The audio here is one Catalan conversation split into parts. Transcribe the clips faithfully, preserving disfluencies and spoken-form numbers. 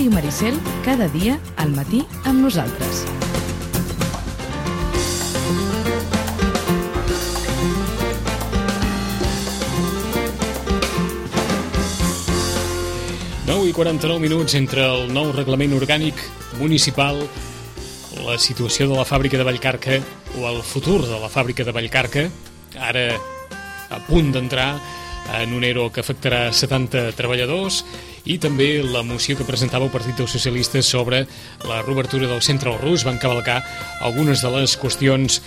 Ràdio Maricel, cada dia al matí amb nosaltres. nou i quaranta-nou minuts entre el nou reglament orgànic municipal, la situació de la fàbrica de Vallcarca o el futur de la fàbrica de Vallcarca, ara a punt d'entrar en un ERO que afectarà setanta treballadors, i també la moció que presentava el Partit dels Socialistes sobre la reobertura del centre al Rus. Van cavalcar algunes de les qüestions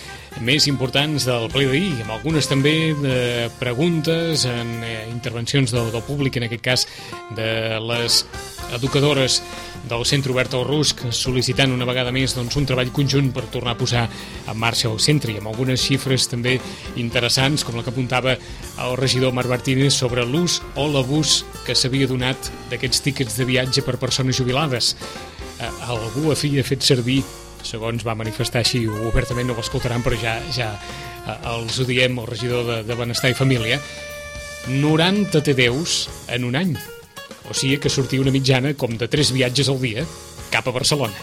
més importants del ple d'ahir, amb algunes també de preguntes en eh, intervencions del, del públic, en aquest cas de les educadores del centre obert al Rus, sol·licitant una vegada més doncs, un treball conjunt per tornar a posar en marxa el centre, i amb algunes xifres també interessants, com la que apuntava el regidor Marc Martínez sobre l'ús o l'abús que s'havia donat d'aquests tíquets de viatge per persones jubilades. Eh, algú havia fet servir, segons va manifestar així obertament, no ho escoltaran, però ja, ja eh, els ho diem, el regidor de, de Benestar i Família, noranta T D Us en un any. O sigui que sortia una mitjana com de tres viatges al dia cap a Barcelona.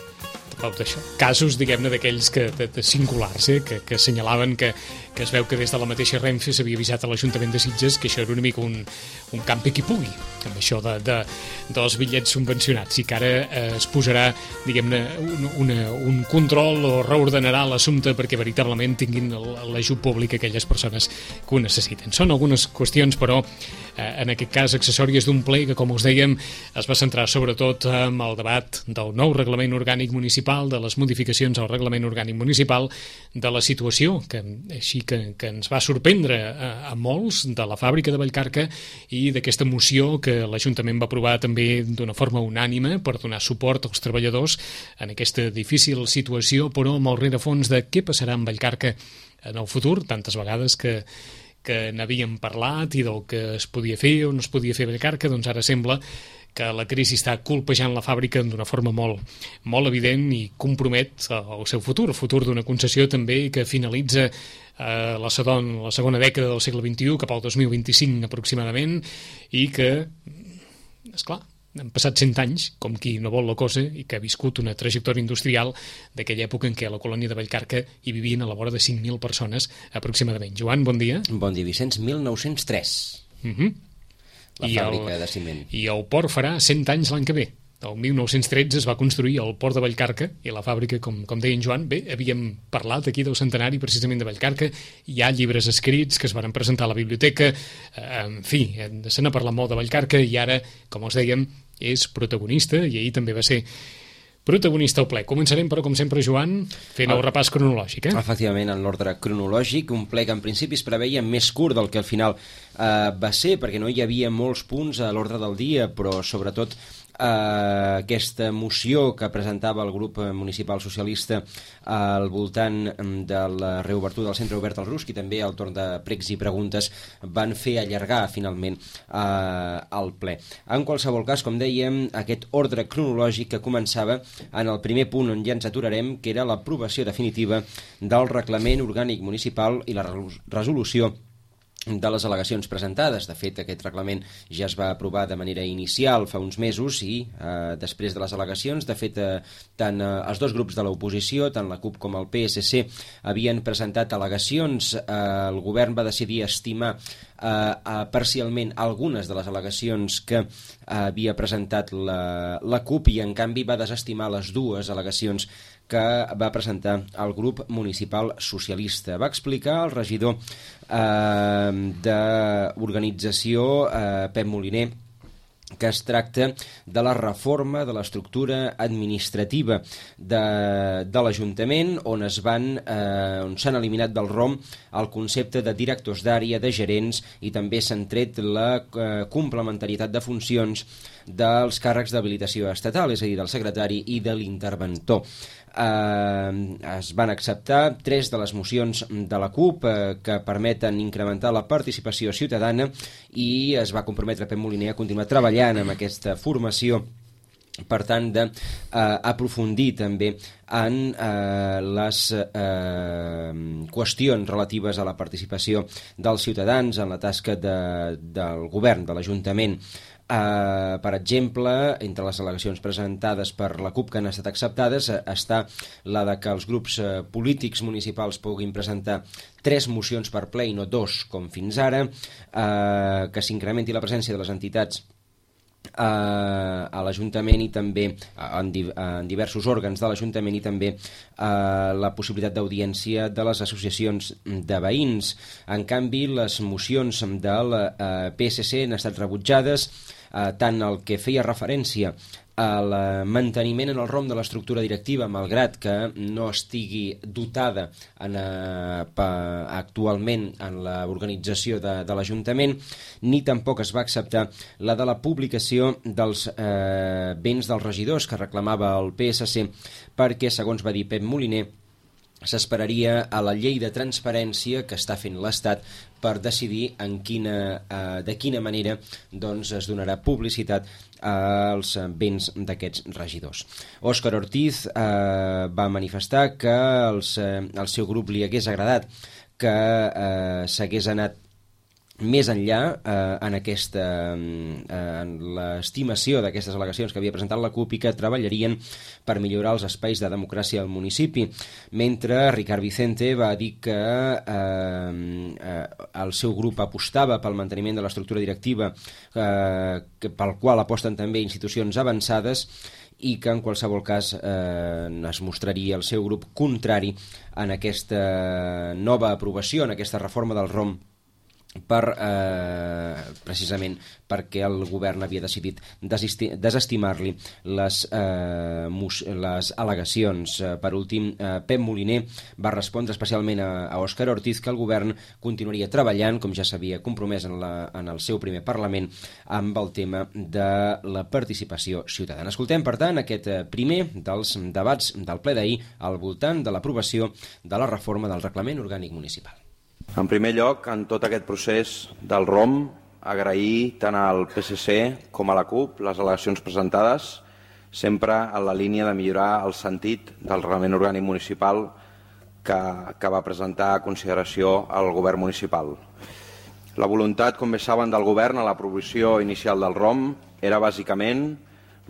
D'això. Casos, diguem-ne, d'aquells que, de, de singulars, eh, que, que assenyalaven que, que es veu que des de la mateixa Renfe s'havia avisat a l'Ajuntament de Sitges que això era una mica un, un campi qui pugui, amb això de, de, dels bitllets subvencionats, i que ara eh, es posarà, diguem-ne, un, una, un control o reordenarà l'assumpte perquè veritablement tinguin l'ajut públic aquelles persones que ho necessiten. Són algunes qüestions, però, eh, en aquest cas, accessòries d'un ple que, com us dèiem, es va centrar sobretot en el debat del nou reglament orgànic municipal, de les modificacions al reglament orgànic municipal, de la situació que, així que, que ens va sorprendre a, a molts, de la fàbrica de Vallcarca, i d'aquesta moció que l'Ajuntament va aprovar també d'una forma unànime per donar suport als treballadors en aquesta difícil situació, però amb el rerefons de què passarà amb Vallcarca en el futur, tantes vegades que que n'havíem parlat i del que es podia fer o no es podia fer a Vallcarca. Doncs ara sembla que la crisi està colpejant la fàbrica d'una forma molt, molt evident i compromet el seu futur, el futur d'una concessió també que finalitza eh, la, segon, la segona dècada del segle vint-i-u, cap al dos mil vint-i-cinc aproximadament, i que, esclar, han passat cent anys, com qui no vol la cosa, i que ha viscut una trajectòria industrial d'aquella època en què a la colònia de Vallcarca hi vivien a la vora de cinc mil persones aproximadament. Joan, bon dia. Bon dia, Vicenç. mil nou-cents tres. Uh-huh. La I fàbrica el, de ciment. I el port farà cent anys l'any que ve. El mil nou-cents tretze es va construir el port de Vallcarca, i la fàbrica, com, com deia en Joan, bé, havíem parlat aquí del centenari precisament de Vallcarca, hi ha llibres escrits que es van presentar a la biblioteca, eh, en fi, se n'ha parlat molt de Vallcarca, i ara, com us dèiem, és protagonista, i ahir també va ser protagonista al ple. Començarem, però, com sempre, Joan, fent el repàs cronològic. Eh? Efectivament, en l'ordre cronològic, un ple que en principi es preveia més curt del que al final eh, va ser, perquè no hi havia molts punts a l'ordre del dia, però sobretot eh, aquesta moció que presentava el grup municipal socialista al voltant de la reobertura del centre obert al Rus, i també al torn de pregs i preguntes van fer allargar finalment eh, el ple. En qualsevol cas, com dèiem, aquest ordre cronològic que començava en el primer punt on ja ens aturarem, que era l'aprovació definitiva del reglament orgànic municipal i la resolució de les al·legacions presentades. De fet, aquest reglament ja es va aprovar de manera inicial fa uns mesos i eh, després de les al·legacions, de fet, eh, tant eh, els dos grups de l'oposició, tant la CUP com el P S C, havien presentat al·legacions. Eh, el govern va decidir estimar eh, eh, parcialment algunes de les al·legacions que eh, havia presentat la, la CUP, i en canvi va desestimar les dues al·legacions que va presentar el grup municipal socialista. Va explicar el regidor eh, d'organització, eh, Pep Moliner, que es tracta de la reforma de l'estructura administrativa de, de l'Ajuntament, on es van, eh, on s'han eliminat del R O M el concepte de directors d'àrea, de gerents, i també s'han tret la eh, complementarietat de funcions dels càrrecs d'habilitació estatal, és a dir, del secretari i de l'interventor. Eh, es van acceptar tres de les mocions de la CUP eh, que permeten incrementar la participació ciutadana, i es va comprometre Pep Moliner a continuar treballant amb aquesta formació, per tant, d'aprofundir eh, també en eh, les eh, qüestions relatives a la participació dels ciutadans en la tasca de, del govern, de l'Ajuntament. Uh, per exemple, entre les al·legacions presentades per la CUP que han estat acceptades uh, està la de que els grups uh, polítics municipals puguin presentar tres mocions per ple i no dos com fins ara, uh, que s'incrementi la presència de les entitats Uh, a l'Ajuntament i també uh, en, di uh, en diversos òrgans de l'Ajuntament i també uh, la possibilitat d'audiència de les associacions de veïns. En canvi, les mocions del uh, P S C han estat rebutjades, uh, tant el que feia referència al manteniment en el rom de l'estructura directiva, malgrat que no estigui dotada en, eh, pa, actualment en l'organització de, de l'Ajuntament, ni tampoc es va acceptar la de la publicació dels eh, béns dels regidors que reclamava el P S C, perquè, segons va dir Pep Moliner, s'esperaria a la llei de transparència que està fent l'Estat per decidir en quina, eh, de quina manera doncs, es donarà publicitat als béns d'aquests regidors. Òscar Ortiz eh, va manifestar que els, eh, al seu grup li hagués agradat que eh, s'hagués anat més enllà eh, en, aquesta, eh, en l'estimació d'aquestes al·legacions que havia presentat la CUP i que treballarien per millorar els espais de democràcia al municipi, mentre Ricard Vicente va dir que eh, eh, el seu grup apostava pel manteniment de l'estructura directiva, eh, que, pel qual aposten també institucions avançades, i que en qualsevol cas eh, es mostraria el seu grup contrari en aquesta nova aprovació, en aquesta reforma del rom, per, eh, precisament perquè el govern havia decidit desestimar-li les, eh, les al·legacions. Per últim, eh, Pep Moliner va respondre especialment a, a Òscar Ortiz que el govern continuaria treballant, com ja s'havia compromès en, la, en el seu primer Parlament, amb el tema de la participació ciutadana. Escoltem, per tant, aquest primer dels debats del ple d'ahir al voltant de l'aprovació de la reforma del Reglament Orgànic Municipal. En primer lloc, en tot aquest procés del rom, agrair tant al P S C com a la CUP les al·legacions presentades, sempre en la línia de millorar el sentit del Reglament Orgànic Municipal que, que va presentar a consideració el govern municipal. La voluntat, com bé saben, del govern a l'aprovació inicial del rom era bàsicament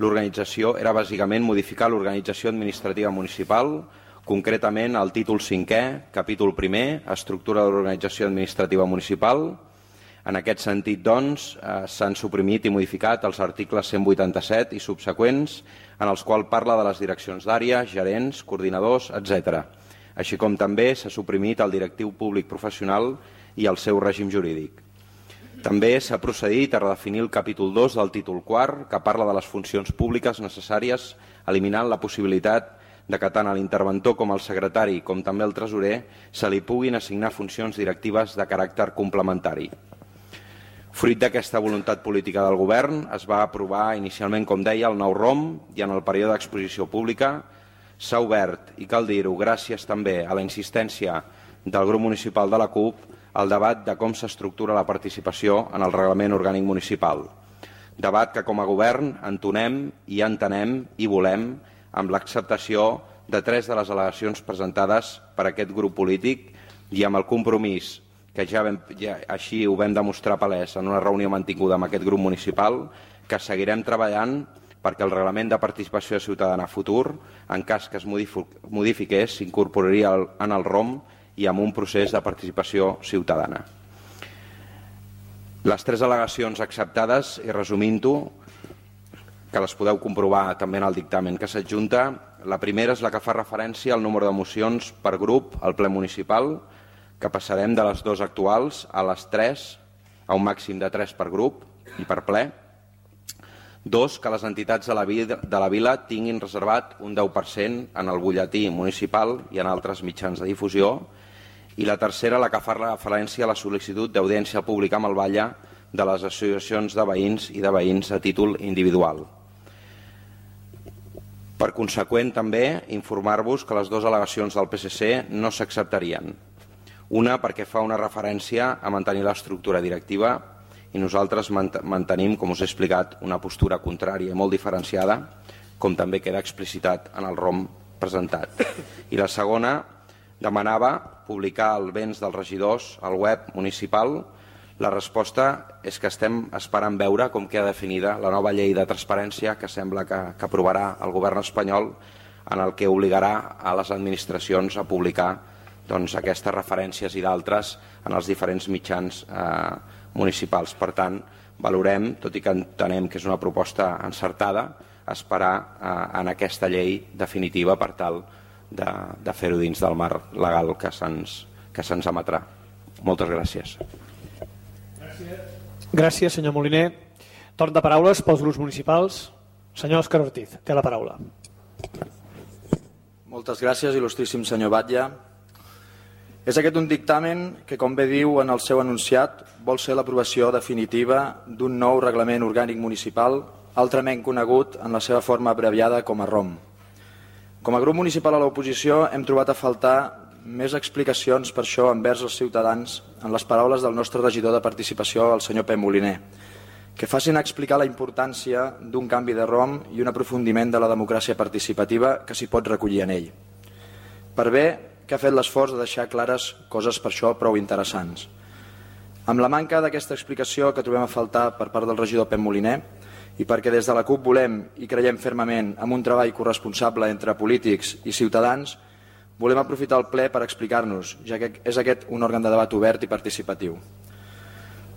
l'organització, era bàsicament modificar l'organització administrativa municipal, concretament el títol cinquè, capítol primer, estructura de l'organització administrativa municipal. En aquest sentit, doncs, eh, s'han suprimit i modificat els articles cent vuitanta-set i subseqüents, en els quals parla de les direccions d'àrea, gerents, coordinadors, etcètera. Així com també s'ha suprimit el directiu públic professional i el seu règim jurídic. També s'ha procedit a redefinir el capítol dos del títol quart, que parla de les funcions públiques necessàries, eliminant la possibilitat de que tant a l'interventor com al secretari, com també al tresorer, se li puguin assignar funcions directives de caràcter complementari. Fruit d'aquesta voluntat política del govern, es va aprovar inicialment, com deia, el nou rom i en el període d'exposició pública s'ha obert, i cal dir-ho, gràcies també a la insistència del grup municipal de la CUP, el debat de com s'estructura la participació en el Reglament Orgànic Municipal. Debat que com a govern entonem i entenem i volem amb l'acceptació de tres de les al·legacions presentades per aquest grup polític i amb el compromís, que ja, vam, ja així ho vam demostrar palès en una reunió mantinguda amb aquest grup municipal, que seguirem treballant perquè el reglament de participació ciutadana futur, en cas que es modifiqués, s'incorporaria en el rom i amb un procés de participació ciutadana. Les tres al·legacions acceptades, i resumint-ho, que les podeu comprovar també en el dictamen que s'adjunta. La primera és la que fa referència al número de mocions per grup al ple municipal, que passarem de les dues actuals a les tres, a un màxim de tres per grup i per ple. Dos, que les entitats de la, vila, de la vila tinguin reservat un deu per cent en el butlletí municipal i en altres mitjans de difusió. I la tercera, la que fa referència a la sol·licitud d'audiència pública amb el Batlle de les associacions de veïns i de veïns a títol individual. Per conseqüent, també, informar-vos que les dues al·legacions del P S C no s'acceptarien. Una perquè fa una referència a mantenir l'estructura directiva i nosaltres mantenim, com us he explicat, una postura contrària i molt diferenciada, com també queda explicitat en el rom presentat. I la segona demanava publicar els béns dels regidors al web municipal, La resposta és que estem esperant veure com queda definida la nova llei de transparència que sembla que, que aprovarà el govern espanyol, en el que obligarà a les administracions a publicar doncs, aquestes referències i d'altres en els diferents mitjans eh, municipals. Per tant, valorem, tot i que entenem que és una proposta encertada, esperar eh, en aquesta llei definitiva per tal de, de fer-ho dins del marc legal que se'ns que se'ns emetrà. Moltes gràcies. Gràcies, senyor Moliner. Torn de paraules pels grups municipals. Senyor Òscar Ortiz, té la paraula. Moltes gràcies, il·lustríssim senyor Batlle. És aquest un dictamen que, com bé diu en el seu enunciat, vol ser l'aprovació definitiva d'un nou reglament orgànic municipal, altrament conegut en la seva forma abreviada com a ROM. Com a grup municipal a l'oposició hem trobat a faltar més explicacions per això envers els ciutadans en les paraules del nostre regidor de participació, el senyor Pep Moliner, que facin explicar la importància d'un canvi de ROM i un aprofundiment de la democràcia participativa que s'hi pot recollir en ell. Per bé que ha fet l'esforç de deixar clares coses per això prou interessants. Amb la manca d'aquesta explicació que trobem a faltar per part del regidor Pep Moliner, i perquè des de la CUP volem i creiem fermament en un treball corresponsable entre polítics i ciutadans, volem aprofitar el ple per explicar-nos, ja que és aquest un òrgan de debat obert i participatiu.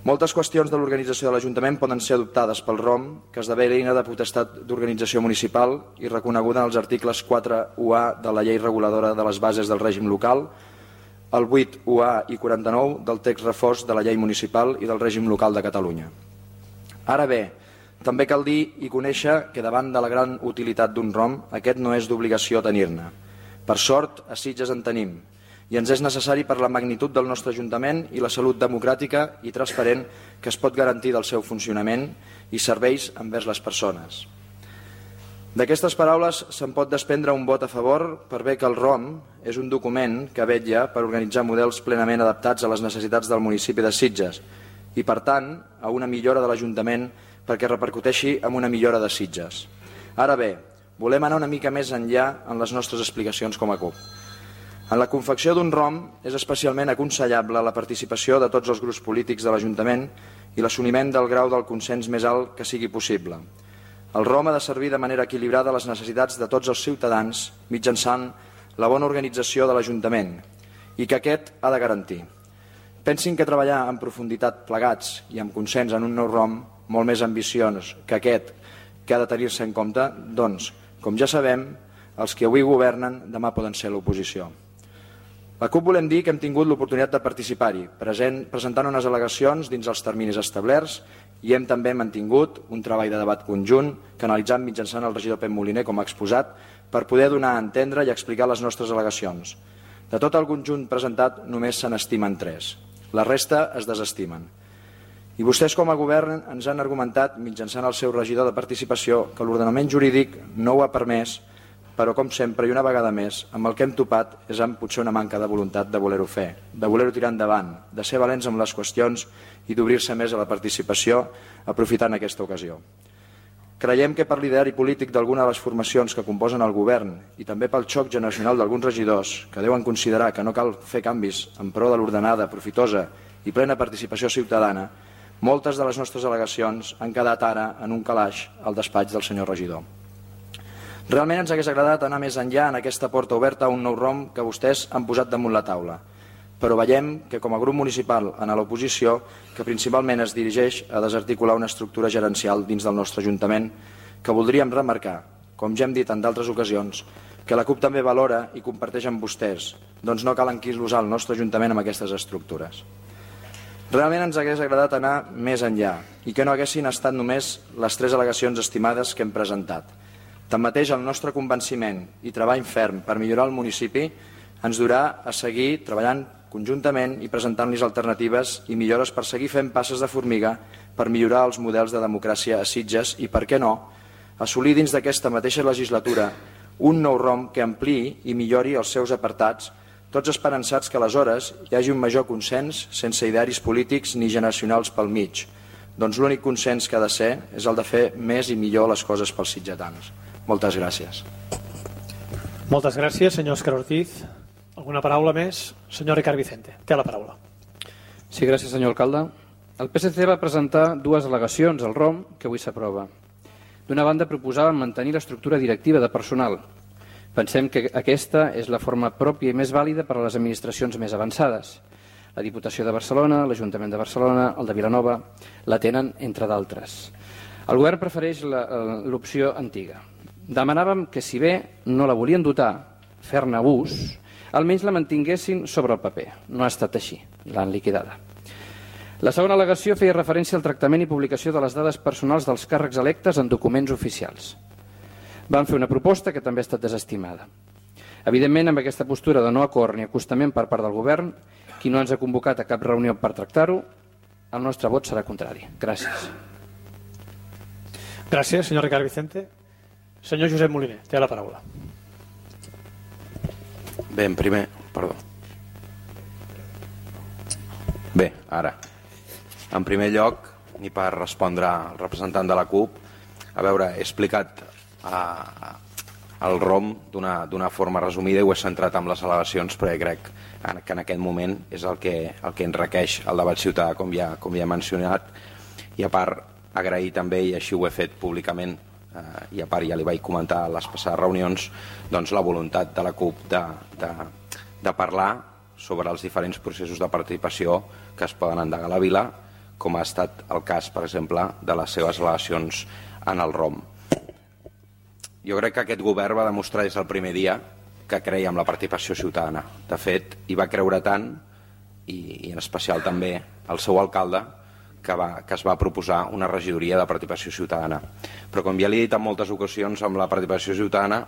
Moltes qüestions de l'organització de l'Ajuntament poden ser adoptades pel ROM, que esdevé l'eina de potestat d'organització municipal i reconeguda en els articles quatre u A de la Llei Reguladora de les Bases del Règim Local, el vuit u A i quaranta-nou del text refós de la Llei Municipal i del Règim Local de Catalunya. Ara bé, també cal dir i conèixer que davant de la gran utilitat d'un ROM, aquest no és d'obligació tenir-ne. Per sort, a Sitges en tenim, i ens és necessari per la magnitud del nostre Ajuntament i la salut democràtica i transparent que es pot garantir del seu funcionament i serveis envers les persones. D'aquestes paraules se'n pot desprendre un vot a favor per bé que el ROM és un document que vetlla per organitzar models plenament adaptats a les necessitats del municipi de Sitges i, per tant, a una millora de l'Ajuntament perquè repercuteixi en una millora de Sitges. Ara bé, volem anar una mica més enllà en les nostres explicacions com a CUP. En la confecció d'un ROM és especialment aconsellable la participació de tots els grups polítics de l'Ajuntament i l'assoliment del grau del consens més alt que sigui possible. El ROM ha de servir de manera equilibrada a les necessitats de tots els ciutadans mitjançant la bona organització de l'Ajuntament i que aquest ha de garantir. Pensin que treballar en profunditat plegats i amb consens en un nou ROM molt més ambiciós que aquest que ha de tenir-se en compte, doncs, com ja sabem, els que avui governen demà poden ser l'oposició. La CUP volem dir que hem tingut l'oportunitat de participar-hi, presentant unes al·legacions dins els terminis establerts i hem també mantingut un treball de debat conjunt canalitzat mitjançant el regidor Pep Moliner, com ha exposat, per poder donar a entendre i explicar les nostres al·legacions. De tot el conjunt presentat només se n'estimen tres. La resta es desestimen. I vostès com a govern ens han argumentat mitjançant el seu regidor de participació que l'ordenament jurídic no ho ha permès, però com sempre i una vegada més amb el que hem topat és amb potser una manca de voluntat de voler-ho fer, de voler-ho tirar endavant, de ser valents amb les qüestions i d'obrir-se més a la participació aprofitant aquesta ocasió. Creiem que per l'ideari polític d'alguna de les formacions que composen el govern i també pel xoc generacional d'alguns regidors que deuen considerar que no cal fer canvis en pro de l'ordenada, profitosa i plena participació ciutadana, moltes de les nostres al·legacions han quedat ara en un calaix al despatx del senyor regidor. Realment ens hagués agradat anar més enllà en aquesta porta oberta a un nou ROM que vostès han posat damunt la taula, però veiem que com a grup municipal en l'oposició, que principalment es dirigeix a desarticular una estructura gerencial dins del nostre Ajuntament, que voldríem remarcar, com ja hem dit en d'altres ocasions, que la CUP també valora i comparteix amb vostès, doncs no cal enquilosar el nostre Ajuntament amb aquestes estructures. Realment ens hagués agradat anar més enllà i que no haguessin estat només les tres al·legacions estimades que hem presentat. Tanmateix, el nostre convenciment i treball ferm per millorar el municipi ens durà a seguir treballant conjuntament i presentant-los alternatives i millores per seguir fent passes de formiga per millorar els models de democràcia a Sitges i, per què no, assolir dins d'aquesta mateixa legislatura un nou ROM que ampliï i millori els seus apartats, tots esperançats que aleshores hi hagi un major consens sense idearis polítics ni generacionals pel mig. Doncs l'únic consens que ha de ser és el de fer més i millor les coses pels sitgetans. Moltes gràcies. Moltes gràcies, senyor Òscar Ortiz. Alguna paraula més? Senyor Ricard Vicente, té la paraula. Sí, gràcies, senyor alcalde. El P S C va presentar dues al·legacions al R O M que avui s'aprova. D'una banda, proposaven mantenir l'estructura directiva de personal. Pensem que aquesta és la forma pròpia i més vàlida per a les administracions més avançades. La Diputació de Barcelona, l'Ajuntament de Barcelona, el de Vilanova, la tenen, entre d'altres. El govern prefereix l'opció antiga. Demanàvem que, si bé no la volien dotar, fer-ne ús, almenys la mantinguessin sobre el paper. No ha estat així, l'han liquidada. La segona al·legació feia referència al tractament i publicació de les dades personals dels càrrecs electes en documents oficials. Van fer una proposta que també ha estat desestimada. Evidentment, amb aquesta postura de no acord ni acostament per part del govern, qui no ens ha convocat a cap reunió per tractar-ho, el nostre vot serà contrari. Gràcies. Gràcies, senyor Ricard Vicente. Senyor Josep Moliner, té la paraula. Bé, en primer... Perdó. Bé, ara. En primer lloc, i per respondre al representant de la CUP, a veure, he explicat a, a, el R O M d'una forma resumida i ho he centrat en les al·legacions, però crec que en aquest moment és el que, el que ens requeix el debat ciutadà, com ja, com ja he mencionat, i a part agrair també, i així ho he fet públicament, eh, i a part ja li vaig comentar a les passades reunions, doncs la voluntat de la CUP de, de, de parlar sobre els diferents processos de participació que es poden endegar a la vila, com ha estat el cas, per exemple, de les seves al·legacions en el R O M. Jo crec que aquest govern va demostrar des del primer dia que creia en la participació ciutadana. De fet, hi va creure tant, i, i en especial també el seu alcalde, que, va, que es va proposar una regidoria de participació ciutadana. Però com ja li he dit en moltes ocasions, amb la participació ciutadana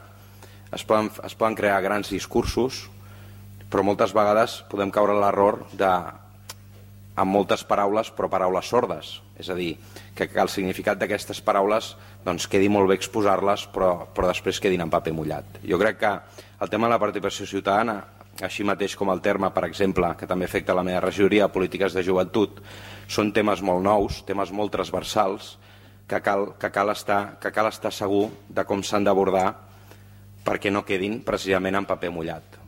es poden, es poden crear grans discursos, però moltes vegades podem caure en l'error de, amb moltes paraules, però paraules sordes. És a dir, que, que el significat d'aquestes paraules doncs, quedi molt bé exposar-les, però, però després quedin en paper mullat. Jo crec que el tema de la participació ciutadana, així mateix com el terme, per exemple, que també afecta la meva regidoria, polítiques de joventut, són temes molt nous, temes molt transversals, que cal, que cal, estar, que cal estar segur de com s'han d'abordar perquè no quedin precisament en paper mullat.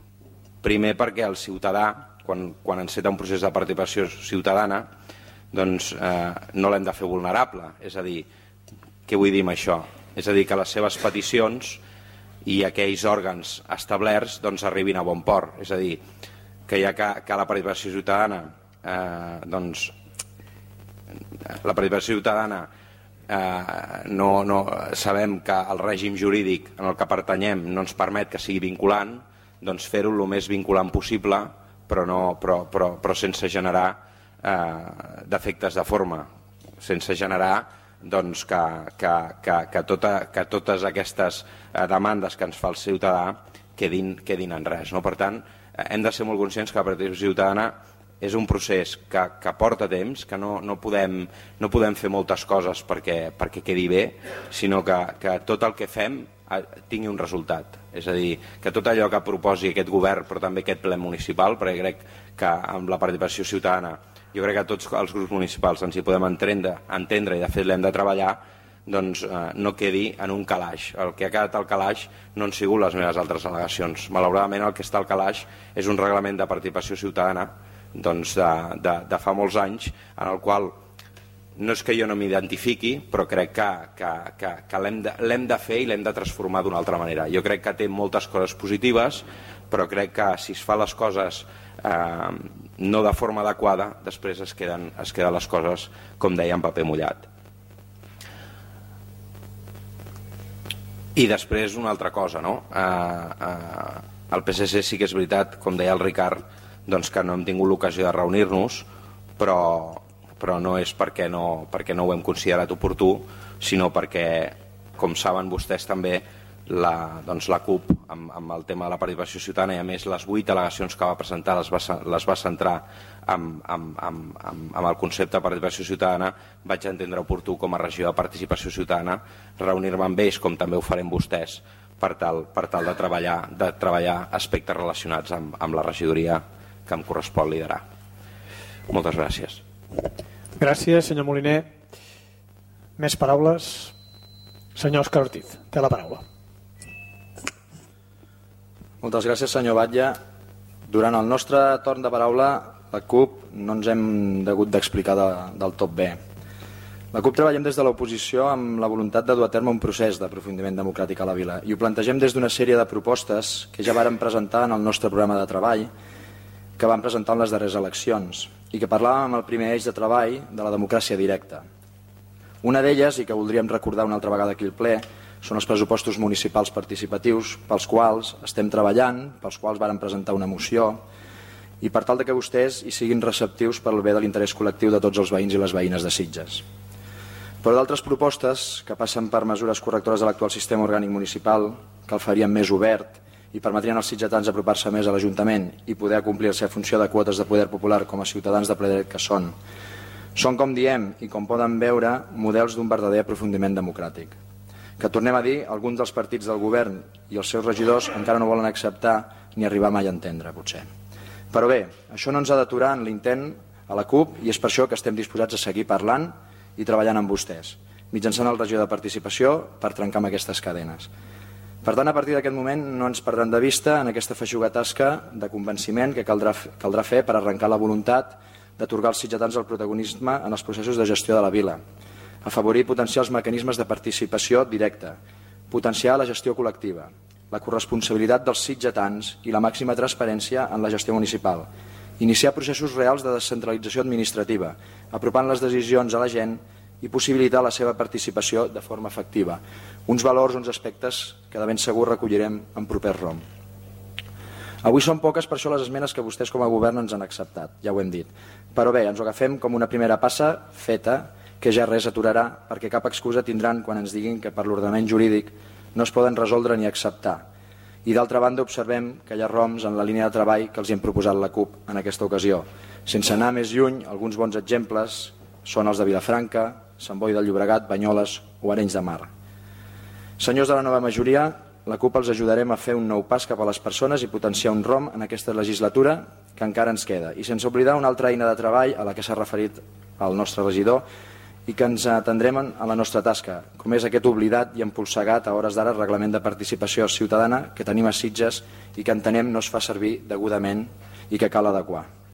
Primer perquè el ciutadà, quan, quan enceta un procés de participació ciutadana, doncs eh, no l'hem de fer vulnerable. És a dir, què vull dir amb això? És a dir, que les seves peticions i aquells òrgans establerts doncs, arribin a bon port. És a dir, que ja que, que la participació ciutadana eh, doncs, la participació ciutadana eh, no, no, sabem que el règim jurídic en el que pertanyem no ens permet que sigui vinculant, doncs fer-ho el més vinculant possible, però, no, però, però, però sense generar eh, defectes de forma, sense generar doncs, que, que, que, que, tota, que totes aquestes eh, demandes que ens fa el ciutadà quedin, quedin en res. No? Per tant, eh, hem de ser molt conscients que la participació ciutadana és un procés que, que porta temps, que no, no, podem, no podem fer moltes coses perquè, perquè quedi bé, sinó que, que tot el que fem tingui un resultat. És a dir, que tot allò que proposi aquest govern, però també aquest ple municipal, perquè crec que amb la participació ciutadana, jo crec que tots els grups municipals ens hi podem entendre, entendre i de fet l'hem de treballar, doncs eh, no quedi en un calaix. El que ha quedat al calaix no han sigut les meves altres al·legacions. Malauradament el que està al calaix és un reglament de participació ciutadana doncs de, de, de fa molts anys, en el qual no és que jo no m'identifiqui, però crec que, que, que, que l'hem de, l'hem de fer i l'hem de transformar d'una altra manera. Jo crec que té moltes coses positives, però crec que si es fa les coses eh, no de forma adequada, després es queden, es queden les coses, com deia, en paper mullat. I després una altra cosa, no? Eh, eh, el P S C sí que és veritat, com deia el Ricard, doncs que no hem tingut l'ocasió de reunir-nos, però, però no és perquè no, perquè no ho hem considerat oportú, sinó perquè, com saben vostès també, la, doncs la CUP, amb, amb el tema de la participació ciutadana, i a més les vuit al·legacions que va presentar les va, les va centrar amb, amb, amb, amb, amb el concepte de participació ciutadana, vaig entendre oportú com a regió de participació ciutadana reunir-me amb ells, com també ho farem vostès, per tal, per tal de, treballar, de treballar aspectes relacionats amb, amb la regidoria que em correspon liderar. Moltes gràcies. Gràcies, senyor Moliner. Més paraules? Senyor Òscar Ortiz, té la paraula. Moltes gràcies, senyor Batlle. Durant el nostre torn de paraula la CUP no ens hem hagut d'explicar de, del tot bé. La CUP treballem des de l'oposició amb la voluntat de dur a terme un procés d'aprofundiment democràtic a la vila i ho plantegem des d'una sèrie de propostes que ja vàrem presentar en el nostre programa de treball que vam presentar en les darreres eleccions i que parlàvem amb el primer eix de treball de la democràcia directa. Una d'elles, i que voldríem recordar una altra vegada aquí al ple, són els pressupostos municipals participatius pels quals estem treballant, pels quals vàrem presentar una moció i per tal de que vostès hi siguin receptius per al bé de l'interès col·lectiu de tots els veïns i les veïnes de Sitges. Però d'altres propostes que passen per mesures correctores de l'actual sistema orgànic municipal, que el farien més obert i permetrien als sitgetans apropar-se més a l'Ajuntament i poder acomplir la seva funció de quotes de poder popular com a ciutadans de ple dret que són. Són, com diem, i com poden veure, models d'un verdader aprofundiment democràtic. Que tornem a dir, alguns dels partits del govern i els seus regidors encara no volen acceptar ni arribar mai a entendre, potser. Però bé, això no ens ha d'aturar en l'intent a la CUP i és per això que estem disposats a seguir parlant i treballant amb vostès, mitjançant el regió de participació per trencar amb aquestes cadenes. Per tant, a partir d'aquest moment no ens perdran de vista en aquesta feixuga tasca de convenciment que caldrà, caldrà fer per arrencar la voluntat d'atorgar als sitgetans el protagonisme en els processos de gestió de la vila, afavorir i potenciar els mecanismes de participació directa, potenciar la gestió col·lectiva, la corresponsabilitat dels sitgetans i la màxima transparència en la gestió municipal, iniciar processos reals de descentralització administrativa, apropant les decisions a la gent i possibilitar la seva participació de forma efectiva. Uns valors, uns aspectes que de ben segur recollirem en proper ROM. Avui són poques per això les esmenes que vostès com a govern ens han acceptat, ja ho hem dit. Però bé, ens ho agafem com una primera passa feta que ja res aturarà perquè cap excusa tindran quan ens diguin que per l'ordenament jurídic no es poden resoldre ni acceptar. I d'altra banda observem que hi ha ROMs en la línia de treball que els hi hem proposat la CUP en aquesta ocasió. Sense anar més lluny, alguns bons exemples són els de Vilafranca, Sant Boi del Llobregat, Banyoles o Arenys de Mar. Senyors de la nova majoria, la CUP els ajudarem a fer un nou pas cap a les persones i potenciar un ROM en aquesta legislatura que encara ens queda. I sense oblidar una altra eina de treball a la que s'ha referit el nostre regidor i que ens atendrem a la nostra tasca, com és aquest oblidat i empolsegat a hores d'ara reglament de participació ciutadana que tenim a Sitges i que entenem no es fa servir degudament i que cal adequar.